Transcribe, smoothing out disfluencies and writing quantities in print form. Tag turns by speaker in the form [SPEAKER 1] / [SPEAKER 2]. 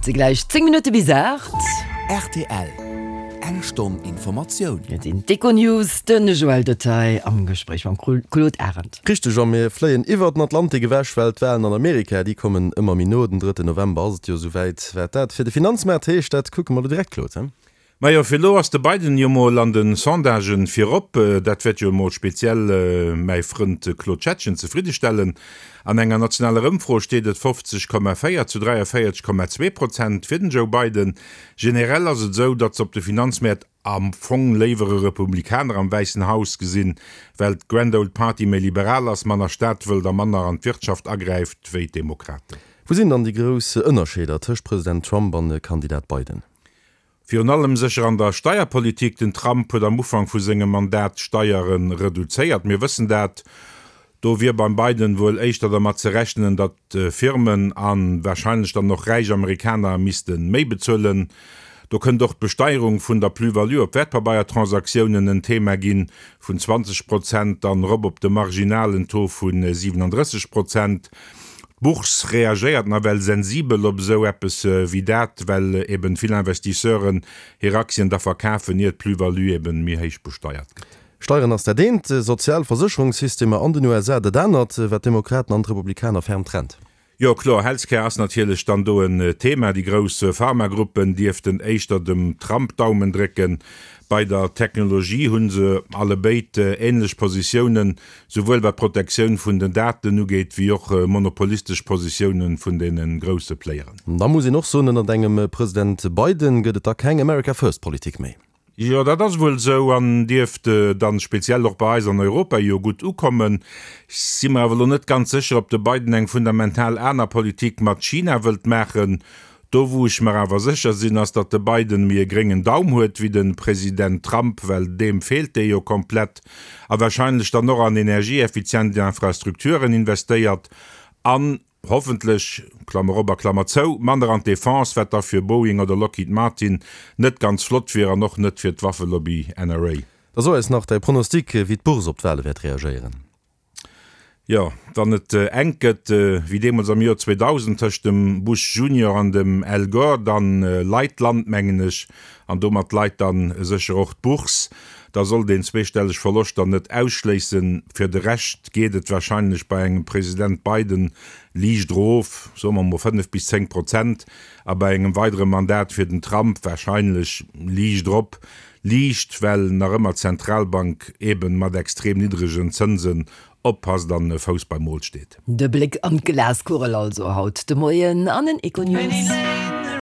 [SPEAKER 1] Et si gläich 10 Minutte bis 8.
[SPEAKER 2] Rtl, Eng Stonn Informatioun.
[SPEAKER 1] Et sinn d'Econews, de Joël Detaille am Gespréich mam Claude Arend.
[SPEAKER 3] Richteg, a mir fléien iwwer den Atlantik ewech, well d'Walen an Amerika, déi kommen ëmmer méi no. Den drëtten November ass et jo esouwäit. Wat dat fir de Finanzmaart heescht, dat kucke mer elo direkt, Claude.
[SPEAKER 4] Majo, fir elo ass de Biden jo mol an de Sondagen virop. Dat wäert jo emol speziell mäi Frënd Claude Schettgen zefriddestellen. An enger nationaler Ëmfro steet et 50,4 zu 43,2 Prozent fir den Joe Biden. Generell ass et esou, datt se op de Finanzmäert am Fong léiwer e Republikaner am Wäissen Haus gesinn, well d'Grand Old Party méi liberal ass, manner Staat wëllt a manner an d'Wirtschaft agräift wéi d'Demokraten.
[SPEAKER 3] Wou sinn dann déi grouss Ënnerscheeder tëscht President Trump an Kandidat Biden?
[SPEAKER 4] Virun allem sécher an der Steierpolitik. Den Trump huet am Ufank vu sengem Mandat d'Steiere reduzéiert. Mir wëssen dat. Do wier beim Biden wuel éischter dermat ze rechnen, datt Firmen a warscheinlech dann och räich Amerikaner misste méi bezuelen. Do kënnt och d'Besteierung vun der Plus-value op Wäertpabeiertransaktiounen en Thema ginn, vun 20 Prozent dann erop op de marginalen Taux vu 37 Prozent. D'Bourse reagéiert nawell sensibel op esou eppes wéi dat, well eben vill Investisseuren hir Aktien da verkafen, ier d'Plus-value eben méi héich besteiert gëtt.
[SPEAKER 3] Steieren ass dat eent, sozial Versécherungssystemer an den USA dat anert, wat d'Demokraten an d'Republikaner ferm trennt.
[SPEAKER 4] Jo kloer, Healthcare ass natierlech dann do en Thema. Déi grouss Pharmagruppen dierften éischter dem Trump d'Daumen drécken. Bei der Technologie hu se allebéid änlech Positiounen, Souwuel wat d'Protektioun vun den Daten ugeet, wéi och monopolistesch Positiounen vun deene grousse Playeren.
[SPEAKER 3] Da muss een och soen, ënnert engem President Biden gëtt et da keng America First Politik méi.
[SPEAKER 4] Jo, dat ass wuel esou an dierft dann speziell och bei eis an Europa jo gutt ukommen. Ech si mer awer elo net ganz sécher, ob de Biden eng fundamental aner Politik mat China wëllt maachen. Do wou ech mer awer sécher sinn, ass datt de Biden méi e gréngen Daum huet wéi de President Trump, well deem feelt dee jo komplett, a wahrscheinlech dann och an energieeffizient Infrastrukturen investéiert an, hoffentlech, Klammer op a Klammer zou, manner an d'Defense, wat da fir Boeing oder Lockheed Martin net ganz flott wier an och net fir d'Waffelobby NRA.
[SPEAKER 3] Da so eis nach däi Pronostic, wéi d'Bourse op d'Wale wäert reagéieren.
[SPEAKER 4] Jo, wann et enk gëtt, wéi deemools am Joer 2000 tëscht dem Bush Junior an dem Al Gore, dann leit d'Land, mengen ech, an domat leit dann sécher och d'Bourse. Da sollt een zweestelleg Verloschter net ausschléissen. Fir de Rescht geet et wahrscheinlech bei engem President Biden liicht erof, soe mer mol 5 bis 10 Prozent, a bei engem weidere Mandat fir den Trump wahrscheinlech liicht erop. Liicht, well nach ëmmer d'Zentralbank eben mat extrem niddregen Zënsen oppasst an e Fouss beim Mol steet.
[SPEAKER 1] De Bléck an d'Glaskugel also haut de Moien an den Econews.